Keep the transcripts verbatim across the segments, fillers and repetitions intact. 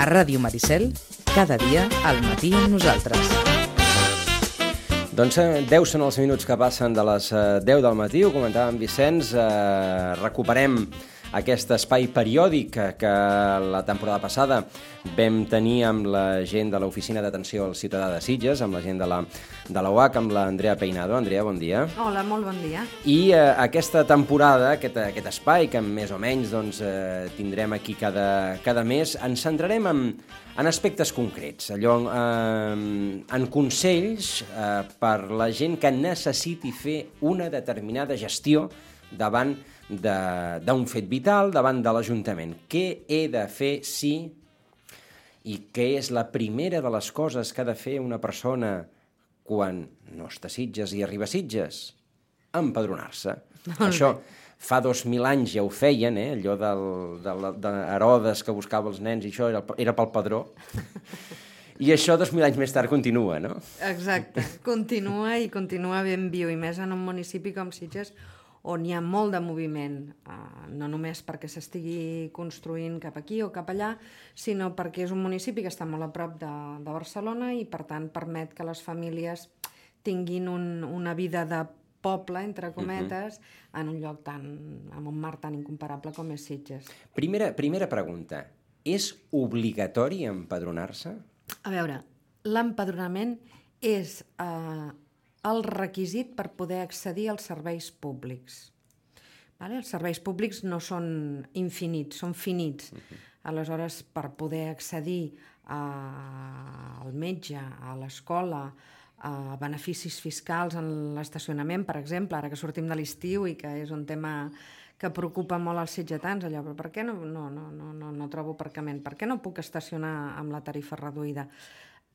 Ràdio Maricel, cada dia al matí amb nosaltres. Doncs deu són els minuts que passen de les deu del matí, ho comentava en Vicenç, eh, recuperem aquest espai periòdic que la temporada passada vam tenir amb la gent de l'Oficina d'Atenció al Ciutadà de Sitges, amb la gent de la, de la U A C, amb l'Andrea Peinado. Andrea, bon dia. Hola, molt bon dia. I eh, aquesta temporada, aquest, aquest espai que més o menys doncs, eh, tindrem aquí cada, cada mes, ens centrarem en, en aspectes concrets, allò, eh, en consells eh, per la gent que necessiti fer una determinada gestió davant d'un fet vital, davant de l'Ajuntament. Què he de fer si i què és la primera de les coses que ha de fer una persona quan no està a Sitges i arriba a Sitges? Empadronar-se. Això fa dos mil anys ja ho feien, eh? Allò del, de, de Herodes que buscava els nens i això era, era pel padró. I això dos mil anys més tard continua, no? Exacte, continua i continua ben viu, i més en un municipi com Sitges, on hi ha molt de moviment, eh, no només perquè s'estigui construint cap aquí o cap allà, sinó perquè és un municipi que està molt a prop de, de Barcelona i, per tant, permet que les famílies tinguin un, una vida de poble, entre cometes, uh-huh. en un lloc tan, amb un mar tan incomparable com és Sitges. Primera, primera pregunta, és obligatori empadronar-se? A veure, l'empadronament és eh, el requisit per poder accedir als serveis públics. Vale? Els serveis públics no són infinits, són finits. Uh-huh. Aleshores, per poder accedir a, al metge, a l'escola, a beneficis fiscals en l'estacionament, per exemple, ara que sortim de l'estiu i que és un tema que preocupa molt als sitgetans, allò, però per què no, no, no, no, no, no trobo aparcament? Per què no puc estacionar amb la tarifa reduïda?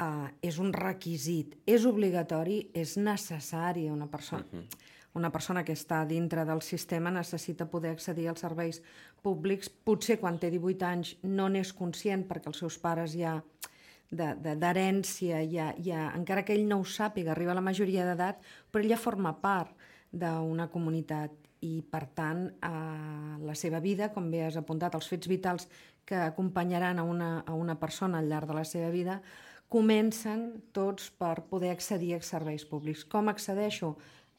Uh, és un requisit, és obligatori, és necessari. Una persona, uh-huh. una persona que està dintre del sistema necessita poder accedir als serveis públics. Potser quan té divuit anys no n'és conscient perquè els seus pares ja d'herència, ja, ja, encara que ell no ho sàpiga, arriba a la majoria d'edat, però ell ja forma part d'una comunitat i, per tant, eh, la seva vida, com bé has apuntat, els fets vitals que acompanyaran a una, a una persona al llarg de la seva vida, comencen tots per poder accedir als serveis públics. Com accedeixo?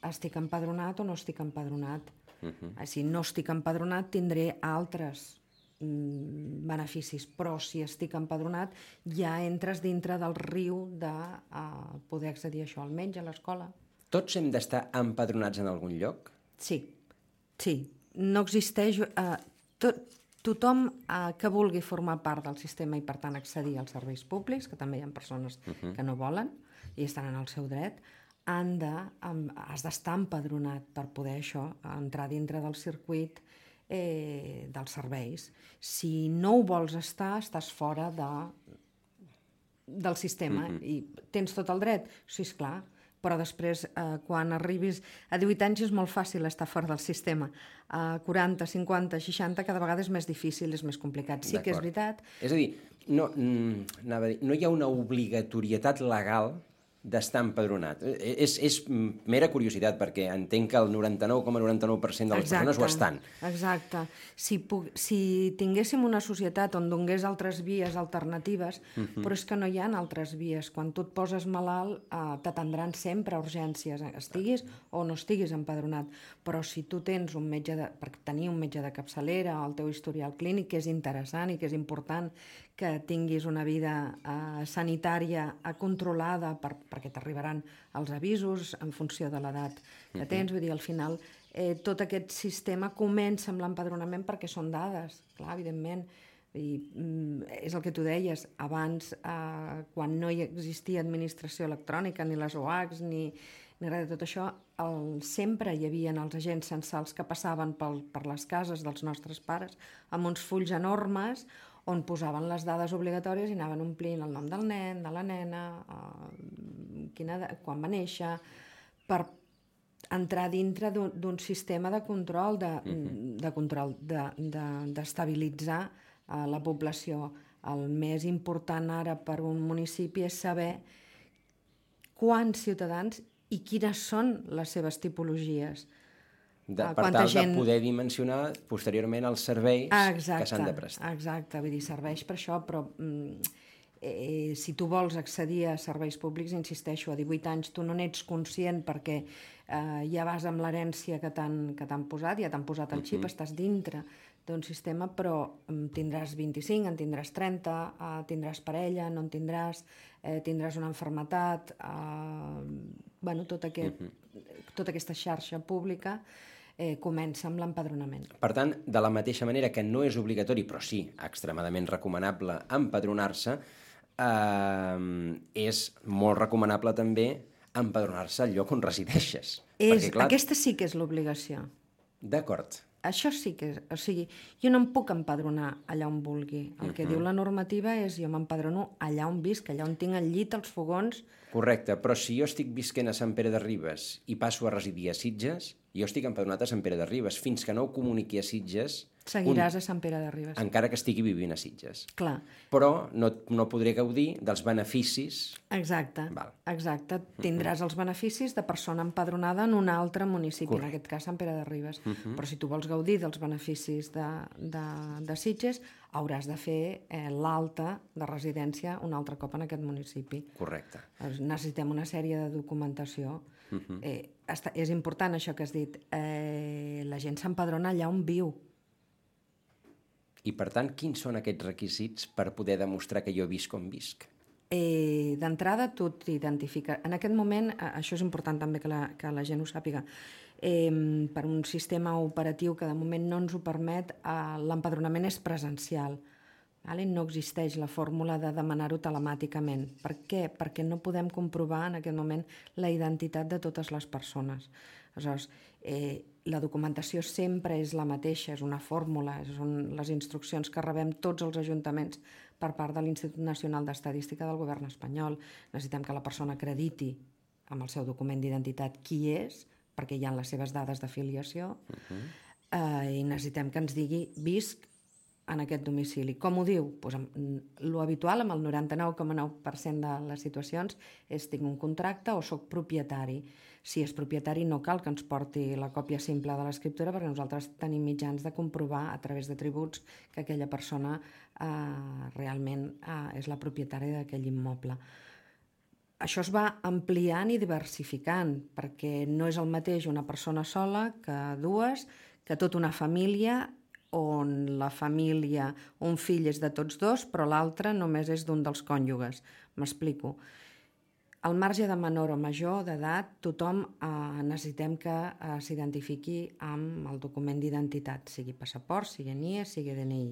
Estic empadronat o no estic empadronat? Uh-huh. Si no estic empadronat, tindré altres mm, beneficis, però si estic empadronat, ja entres dintre del riu de uh, poder accedir a això, al metge, a l'escola. Tots hem d'estar empadronats en algun lloc? Sí, sí. No existeix... Uh, tot, Tothom eh, que vulgui formar part del sistema i, per tant, accedir als serveis públics, que també hi ha persones uh-huh. que no volen i estan en el seu dret, han de, um, has d'estar empadronat per poder això, entrar dintre del circuit eh, dels serveis. Si no ho vols estar, estàs fora de, del sistema uh-huh. i tens tot el dret. Sí, esclar, però després, eh, quan arribis a divuit anys, és molt fàcil estar fora del sistema. A quaranta, cinquanta, seixanta, cada vegada és més difícil, és més complicat. Sí que és veritat. És a dir, no, mm, anava a dir, no hi ha una obligatorietat legal d'estar empadronat. És, és mera curiositat, perquè entenc que el noranta-nou coma noranta-nou per cent de les exacte, persones ho estan. Exacte. Si, puc, si tinguéssim una societat on donés altres vies alternatives, uh-huh. però és que no hi ha altres vies. Quan tu et poses malalt, eh, t'atendran sempre a urgències, estiguis o no estiguis empadronat. Però si tu tens un metge de, per tenir un metge de capçalera, el teu historial clínic, que és interessant i que és important que tinguis una vida eh, sanitària eh, controlada per, perquè t'arribaran els avisos en funció de l'edat que tens. Vull dir, al final, eh, tot aquest sistema comença amb l'empadronament perquè són dades, clar, evidentment. I, mm, és el que tu deies, abans, eh, quan no hi existia administració electrònica, ni les O A Cs, ni, ni res de tot això, el, sempre hi havia els agents censals que passaven pel, per les cases dels nostres pares amb uns fulls enormes on posaven les dades obligatòries i anaven omplint el nom del nen, de la nena, eh, quina, quan va néixer, per entrar dintre d'un sistema de control, de, uh-huh. de control, de, de, d'estabilitzar eh, la població. El més important ara per un municipi és saber quants ciutadans i quines són les seves tipologies. De, uh, per quanta tal gent... de poder dimensionar posteriorment els serveis ah, exacte, que s'han de prestar. Exacte, vull dir, serveix per això, però mm, eh, si tu vols accedir a serveis públics, insisteixo, a divuit anys tu no n'ets conscient perquè eh, ja vas amb l'herència que t'han que t'han posat, ja t'han posat el xip, uh-huh. estàs dintre d'un sistema, però en tindràs vint-i-cinc, en tindràs trenta, eh, tindràs parella, no en tindràs, eh, tindràs una malaltia, eh, bueno, tot aquest, uh-huh. tota aquesta xarxa pública eh, comença amb l'empadronament. Per tant, de la mateixa manera que no és obligatori, però sí extremadament recomanable empadronar-se, eh, és molt recomanable també empadronar-se al lloc on resideixes. És, perquè, clar, aquesta sí que és l'obligació. D'acord. Això sí que és... O sigui, jo no em puc empadronar allà on vulgui. El que uh-huh. diu la normativa és jo m'empadrono allà on visc, allà on tinc el llit, els fogons... Correcte, però si jo estic visquent a Sant Pere de Ribes i passo a residir a Sitges, jo estic empadronat a Sant Pere de Ribes. Fins que no ho comuniqui a Sitges... Seguiràs un... a Sant Pere de Ribes. Encara que estigui vivint a Sitges. Clar. Però no, no podré gaudir dels beneficis... Exacte, Val. exacte. Tindràs uh-huh. els beneficis de persona empadronada en un altre municipi, Correcte. En aquest cas Sant Pere de Ribes. Uh-huh. Però si tu vols gaudir dels beneficis de, de, de Sitges, hauràs de fer eh, l'alta de residència un altre cop en aquest municipi. Correcte. Necessitem una sèrie de documentació. Uh-huh. Eh, està, és important això que has dit. Eh, la gent s'empadrona allà on viu. I, per tant, quins són aquests requisits per poder demostrar que jo visc on visc? Eh, D'entrada, tu t'identifiques... En aquest moment, això és important també que la, que la gent ho sàpiga, eh, per un sistema operatiu que de moment no ens ho permet, eh, l'empadronament és presencial. Vale? No existeix la fórmula de demanar-ho telemàticament. Per què? Perquè no podem comprovar en aquest moment la identitat de totes les persones. Aleshores, eh, la documentació sempre és la mateixa, és una fórmula, són les instruccions que rebem tots els ajuntaments per part de l'Institut Nacional d'Estadística del Govern espanyol. Necessitem que la persona acrediti amb el seu document d'identitat qui és, perquè hi ha les seves dades d'afiliació, uh-huh. eh, i necessitem que ens digui visc en aquest domicili. Com ho diu? Pues, lo habitual, amb el noranta-nou coma nou per cent de les situacions, és tinc un contracte o soc propietari. Si és propietari no cal que ens porti la còpia simple de l'escriptura perquè nosaltres tenim mitjans de comprovar a través de tributs que aquella persona eh, realment eh, és la propietària d'aquell immoble. Això es va ampliant i diversificant perquè no és el mateix una persona sola que dues, que tota una família on la família, un fill és de tots dos, però l'altre només és d'un dels cònjuges. M'explico. Al marge de menor o major d'edat, tothom eh, necessitem que eh, s'identifiqui amb el document d'identitat, sigui passaport, sigui N I E, sigui D N I,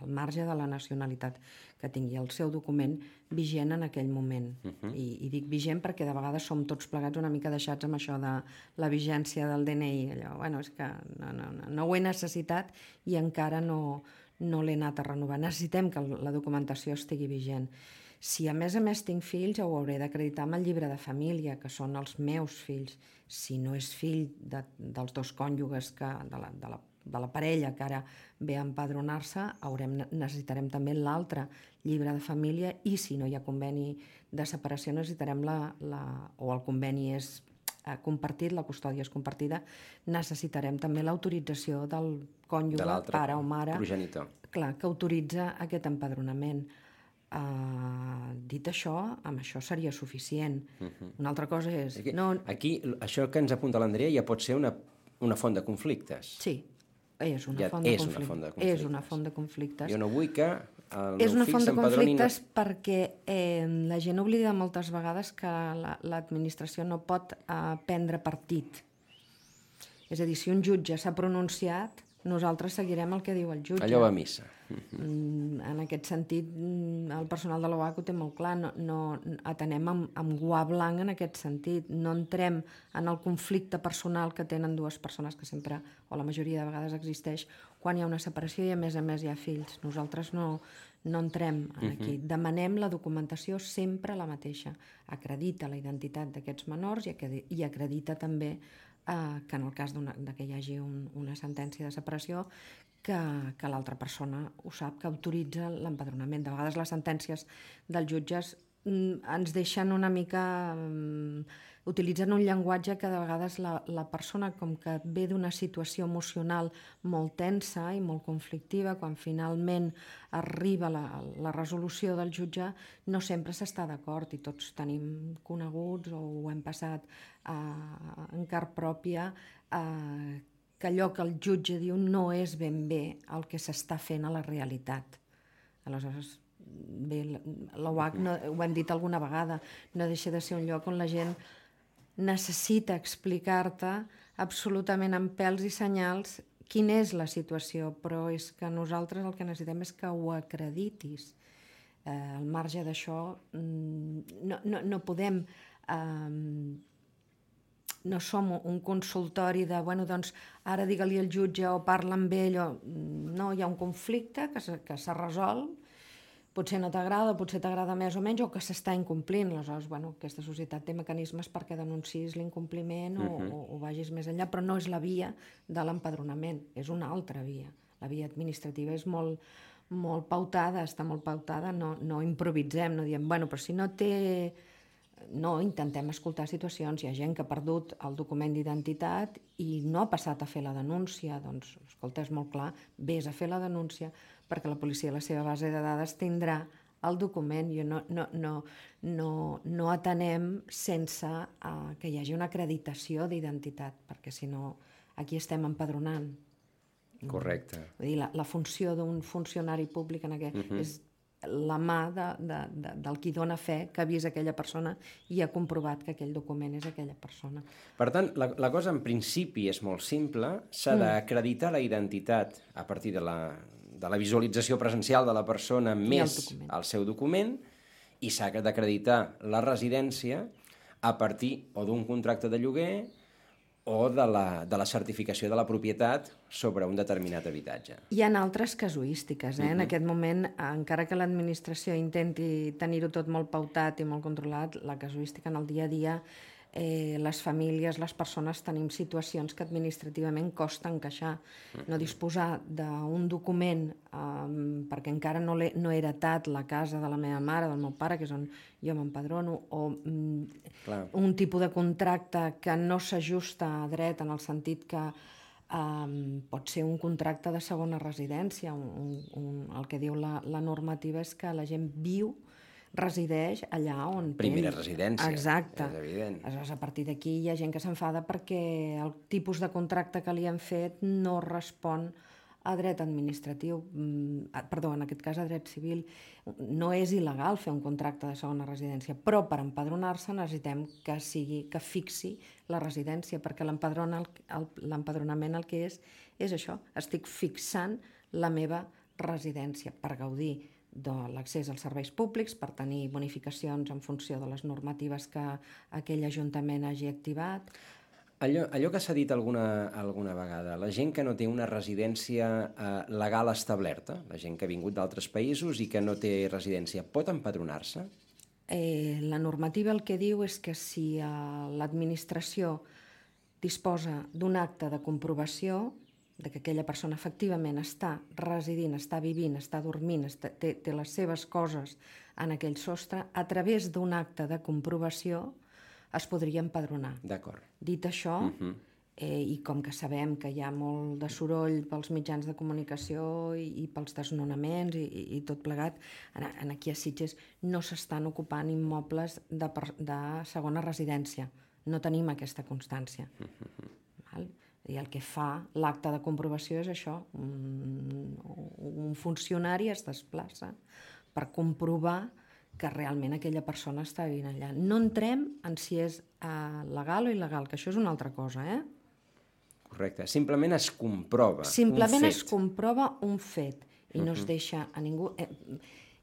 al marge de la nacionalitat, que tingui el seu document vigent en aquell moment. Uh-huh. I, I dic vigent perquè de vegades som tots plegats una mica deixats amb això de la vigència del D N I. Allò, bueno, és que no, no, no, no ho he necessitat i encara no, no l'he anat a renovar. Necessitem que la documentació estigui vigent. Si a més a més tinc fills, ho hauré d'acreditar amb el llibre de família, que són els meus fills. Si no és fill de, dels dos cònjuges que, de, la, de, la, de la parella que ara ve a empadronar-se, haurem, necessitarem també l'altre llibre de família i si no hi ha conveni de separació necessitarem la, la, o el conveni és eh, compartit, la custòdia és compartida, necessitarem també l'autorització del cònjuge, pare o mare, progenitor. Clar, que autoritza aquest empadronament. Uh, dit això, amb això seria suficient. Uh-huh. Una altra cosa és... Aquí, no... aquí, això que ens apunta l'Andrea ja pot ser una, una font de conflictes. Sí, és una, ja font, de és conflictes. una font de conflictes. És una font de conflictes. Jo no vull que el és meu una fill font de conflictes no... perquè eh, la gent oblida moltes vegades que la, l'administració no pot eh, prendre partit. És a dir, si un jutge s'ha pronunciat, nosaltres seguirem el que diu el jutge. Allò va a missa. Mm, en aquest sentit, el personal de l'O A C ho té molt clar, no, no atenem amb, amb guà blanc en aquest sentit, no entrem en el conflicte personal que tenen dues persones que sempre, o la majoria de vegades existeix, quan hi ha una separació i a més a més hi ha fills. Nosaltres no, no entrem en aquí. Uh-huh. Demanem la documentació sempre la mateixa. Acredita la identitat d'aquests menors i acredita també eh, que en el cas de que hi hagi un, una sentència de separació que, que l'altra persona ho sap, que autoritza l'empadronament. De vegades les sentències dels jutges ens deixen una mica... utilitzen un llenguatge que de vegades la, la persona com que ve d'una situació emocional molt tensa i molt conflictiva, quan finalment arriba la, la resolució del jutge, no sempre s'està d'acord i tots tenim coneguts o ho hem passat eh, en car pròpia, eh, que allò que el jutge diu no és ben bé el que s'està fent a la realitat. Aleshores, bé, l'O H, no, ho hem dit alguna vegada, no deixa de ser un lloc on la gent necessita explicar-te absolutament amb pèls i senyals quina és la situació, però és que nosaltres el que necessitem és que ho acreditis. Eh, al marge d'això, no, no, no podem... Eh, no som un consultori de, bueno, doncs, ara digue-li al jutge o parla amb ell, o... no, hi ha un conflicte que s'ha resolt, potser no t'agrada, potser t'agrada més o menys, o que s'està incomplint. Aleshores, bueno, aquesta societat té mecanismes perquè denunciïs l'incompliment o, uh-huh. o, o vagis més enllà, però no és la via de l'empadronament, és una altra via. La via administrativa és molt, molt pautada, està molt pautada, no, no improvisem, no diem, bueno, però si no té... No, intentem escoltar situacions. Hi ha gent que ha perdut el document d'identitat i no ha passat a fer la denúncia. Doncs, escolta, és molt clar, vés a fer la denúncia perquè la policia a la seva base de dades tindrà el document. I no, no, no, no, no atenem sense uh, que hi hagi una acreditació d'identitat, perquè si no, aquí estem empadronant. Correcte. Vull dir, la, la funció d'un funcionari públic en aquest uh-huh. és la mà de, de, de, del qui dona fe que ha vist aquella persona i ha comprovat que aquell document és aquella persona. Per tant, la, la cosa en principi és molt simple, s'ha mm. d'acreditar la identitat a partir de la, de la visualització presencial de la persona més el, el seu document i s'ha d'acreditar la residència a partir o d'un contracte de lloguer o de la, de la certificació de la propietat sobre un determinat habitatge. Hi ha altres casuístiques, eh? Uh-huh. En aquest moment, encara que l'administració intenti tenir-ho tot molt pautat i molt controlat, la casuística en el dia a dia, eh, les famílies, les persones, tenim situacions que administrativament costa encaixar. Uh-huh. No disposar d'un document eh, perquè encara no, no he heretat la casa de la meva mare, del meu pare, que és on jo m'empadrono, o mm, un tipus de contracte que no s'ajusta a dret en el sentit que um, pot ser un contracte de segona residència. Un, un, el que diu la, la normativa és que la gent viu, resideix allà on... Primera té... residència, exacte. És evident. Aleshores, a partir d'aquí hi ha gent que s'enfada perquè el tipus de contracte que li han fet no respon a dret administratiu, perdó, en aquest cas a dret civil. No és il·legal fer un contracte de segona residència, però per empadronar-se necessitem que sigui, que fixi la residència, perquè l'empadronament el que és, és això, estic fixant la meva residència per gaudir de l'accés als serveis públics, per tenir bonificacions en funció de les normatives que aquell ajuntament hagi activat. Allò, allò que s'ha dit alguna, alguna vegada, la gent que no té una residència eh, legal establerta, la gent que ha vingut d'altres països i que no té residència, pot empadronar-se? Eh, la normativa el que diu és que si eh, l'administració disposa d'un acte de comprovació de que aquella persona efectivament està residint, està vivint, està dormint, està, té, té les seves coses en aquell sostre, a través d'un acte de comprovació es podria empadronar. D'acord. Dit això, uh-huh. eh, i com que sabem que hi ha molt de soroll pels mitjans de comunicació i, i pels desnonaments i, i, i tot plegat, en, en aquí a Sitges no s'estan ocupant immobles de, de segona residència. No tenim aquesta constància. Uh-huh. Val? I el que fa l'acte de comprovació és això, un, un funcionari es desplaça per comprovar que realment aquella persona està vivint allà. No entrem en si és uh, legal o il·legal, que això és una altra cosa, eh? Correcte, simplement es comprova simplement un fet. es comprova un fet i no uh-huh. es deixa a ningú... Eh,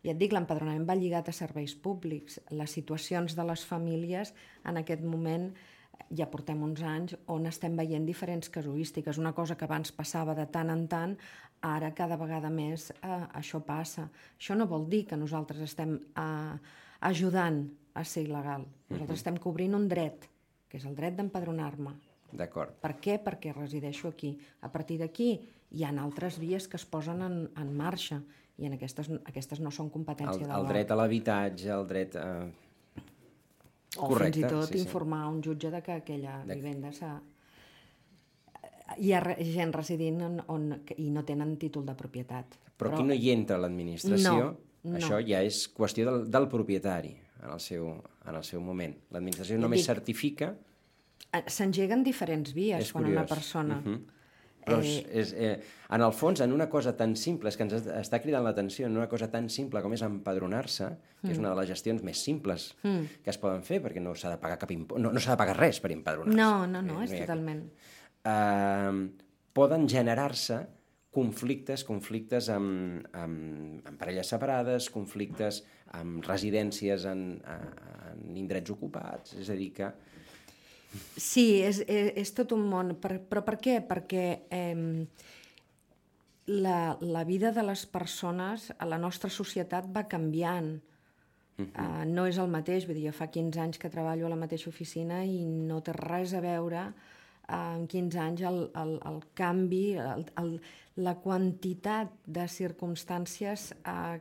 ja et dic, l'empadronament va lligat a serveis públics. Les situacions de les famílies en aquest moment ja portem uns anys on estem veient diferents casuístiques. Una cosa que abans passava de tant en tant, ara cada vegada més eh, això passa. Això no vol dir que nosaltres estem eh, ajudant a ser il·legal. Nosaltres estem cobrint un dret, que és el dret d'empadronar-me. D'acord. Per què? Perquè resideixo aquí. A partir d'aquí hi ha altres vies que es posen en, en marxa i en aquestes, aquestes no són competència El, de el l'O A. dret a l'habitatge, el dret a... O Correcte, fins i tot sí, sí. informar un jutge de que aquella De- vivenda s'ha... Hi ha re- gent residint on, on, i no tenen títol de propietat. Però aquí no hi entra l'administració, No, no. això ja és qüestió del, del propietari en el seu, en el seu moment. L'administració Ja només dic, certifica... Eh, S'engeguen diferents vies És quan curiós. una persona... Uh -huh. Però és, és, eh, en el fons, en una cosa tan simple, és que ens està cridant l'atenció, en una cosa tan simple com és empadronar-se, que és una de les gestions més simples Mm. que es poden fer, perquè no s'ha de pagar cap impost, no, no s'ha de pagar res per empadronar-se. No, no, no, Eh, és hi ha- totalment... eh, poden generar-se conflictes, conflictes amb, amb, amb parelles separades, conflictes amb residències en, en indrets ocupats, és a dir que... Sí, és, és, és tot un món. Per, però per què? Perquè eh, la, la vida de les persones a la nostra societat va canviant. Uh -huh. uh, no és el mateix. Vull dir, jo fa quinze anys que treballo a la mateixa oficina i no té res a veure uh, en quinze anys el, el, el canvi, el, el, la quantitat de circumstàncies uh,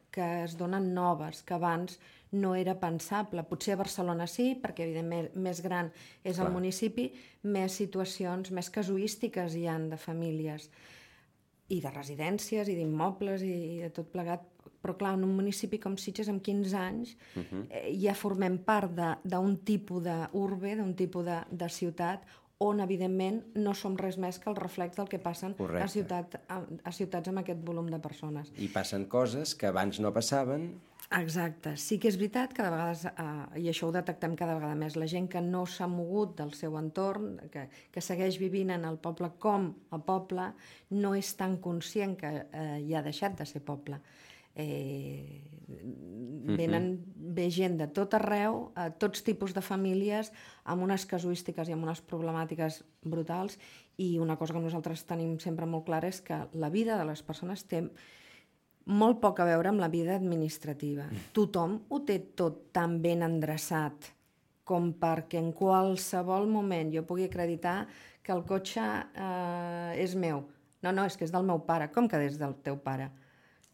que es donen noves, que abans no era pensable. Potser a Barcelona sí, perquè evidentment més gran és Clar. el municipi, més situacions, més casuístiques hi han de famílies i de residències i d'immobles i de tot plegat. Però clar, en un municipi com Sitges amb quinze anys uh -huh. eh, ja formem part d'un tipus d'urbe, d'un tipus de, de ciutat on, evidentment, no som res més que el reflex del que passen a, ciutat, a, a ciutats amb aquest volum de persones. I passen coses que abans no passaven. Exacte. Sí que és veritat que de vegades, eh, i això ho detectem cada vegada més, la gent que no s'ha mogut del seu entorn, que, que segueix vivint en el poble com a poble, no és tan conscient que eh, ja ha deixat de ser poble. Eh, venen, ve gent de tot arreu, a tots tipus de famílies, amb unes casuístiques i amb unes problemàtiques brutals, i una cosa que nosaltres tenim sempre molt clara és que la vida de les persones té molt poc a veure amb la vida administrativa. Tothom ho té tot tan ben endreçat com perquè en qualsevol moment jo pugui acreditar que el cotxe eh, és meu. No, no, és que és del meu pare. Com que és del teu pare?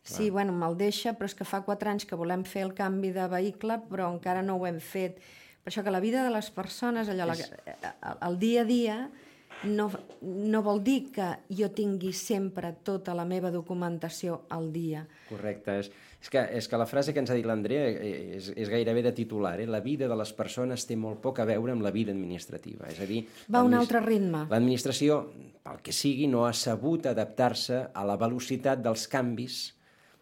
Sí, bueno, me'l deixa, però és que fa quatre anys que volem fer el canvi de vehicle, però encara no ho hem fet. Per això que la vida de les persones, allò, és... la, el dia a dia, no, no vol dir que jo tingui sempre tota la meva documentació al dia. Correcte. És, és, que, és que la frase que ens ha dit l'Andrea és, és gairebé de titular. Eh? La vida de les persones té molt poc a veure amb la vida administrativa. És a dir, va a un altre ritme. L'administració, pel que sigui, no ha sabut adaptar-se a la velocitat dels canvis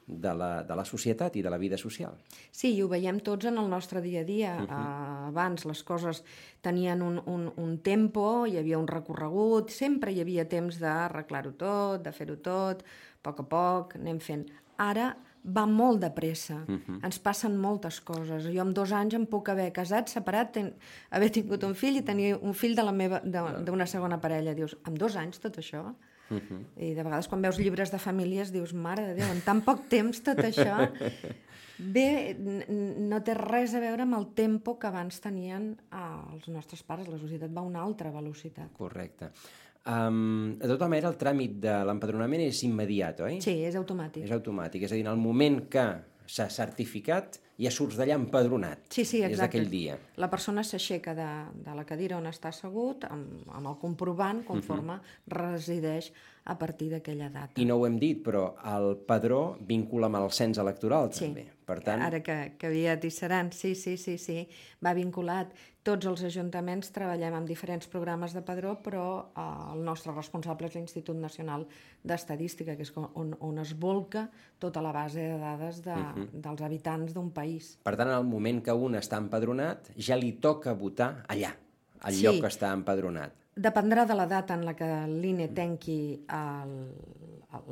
de la, de la societat i de la vida social. Sí, i ho veiem tots en el nostre dia a dia. Uh -huh. uh, abans les coses tenien un, un, un tempo, hi havia un recorregut, sempre hi havia temps d'arreglar-ho tot, de fer-ho tot, a poc a poc, anem fent. Ara va molt de pressa, uh -huh. ens passen moltes coses. Jo amb dos anys em puc haver casat, separat, ten, haver tingut un fill i tenir un fill de la meva d'una segona parella. Dius, amb dos anys tot això? Uh -huh. I de vegades quan veus llibres de famílies dius, mare de Déu, en tan poc temps tot això. Bé, no té res a veure amb el tempo que abans tenien eh, els nostres pares. La societat va a una altra velocitat. Correcte. Um, de tota manera, el tràmit de l'empadronament és immediat, oi? Sí, és automàtic. És automàtic, és a dir, en el moment que s'ha certificat ja surts d'allà empadronat. Sí, sí, exacte. És d'aquell dia. La persona s'aixeca de, de la cadira on està assegut amb, amb el comprovant conforme uh -huh. resideix a partir d'aquella data. I no ho hem dit, però el padró vincula amb el cens electoral, sí. també. Per tant... Ara que, que aviat hi seran, sí, sí, sí, sí, va vinculat. Tots els ajuntaments treballem amb diferents programes de padró, però eh, el nostre responsable és l'Institut Nacional d'Estadística, que és on, on es volca tota la base de dades de, uh -huh. dels habitants d'un país. Per tant, en el moment que un està empadronat, ja li toca votar allà, al sí. lloc que està empadronat. Dependrà de la data en la que l'I N E tanqui el,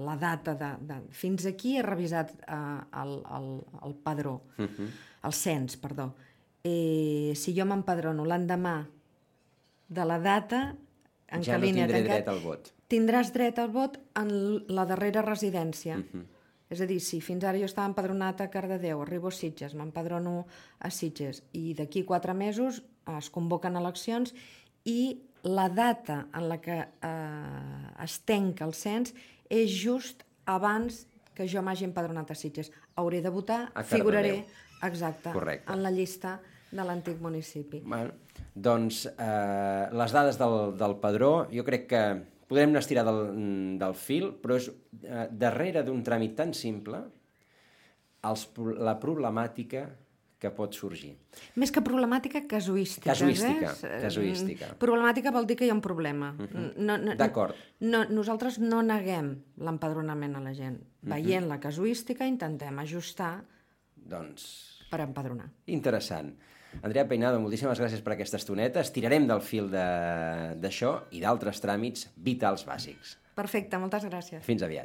la data de, de... Fins aquí he revisat eh, el, el, el padró, uh -huh. el cens, perdó. Eh, si jo m'empadrono l'endemà de la data en ja què no l'I N E tindré tancat, dret al vot. Tindràs dret al vot en la darrera residència. Uh -huh. És a dir, si fins ara jo estava empadronat a Cardedeu, arribo a Sitges, m'empadrono a Sitges, i d'aquí quatre mesos es convoquen eleccions i la data en la que eh, es tanca el cens és just abans que jo m'hagi empadronat a Sitges. Hauré de votar, A figuraré, Cardedeu. exacte, Correcte. en la llista de l'antic municipi. Bueno, doncs eh, les dades del, del padró, jo crec que podrem anar estirar del, del fil, però és eh, darrere d'un tràmit tan simple els, la problemàtica que pot sorgir. Més que problemàtica, casuística. Casuística, eh? casuística. Problemàtica vol dir que hi ha un problema. Uh-huh. no, no, D'acord. No, nosaltres no neguem l'empadronament a la gent. Veient la casuística, intentem ajustar Doncs... per empadronar. Interessant. Andrea Peinado, moltíssimes gràcies per aquesta estoneta. Estirarem del fil d'això i d'altres tràmits vitals bàsics. Perfecte, moltes gràcies. Fins aviat.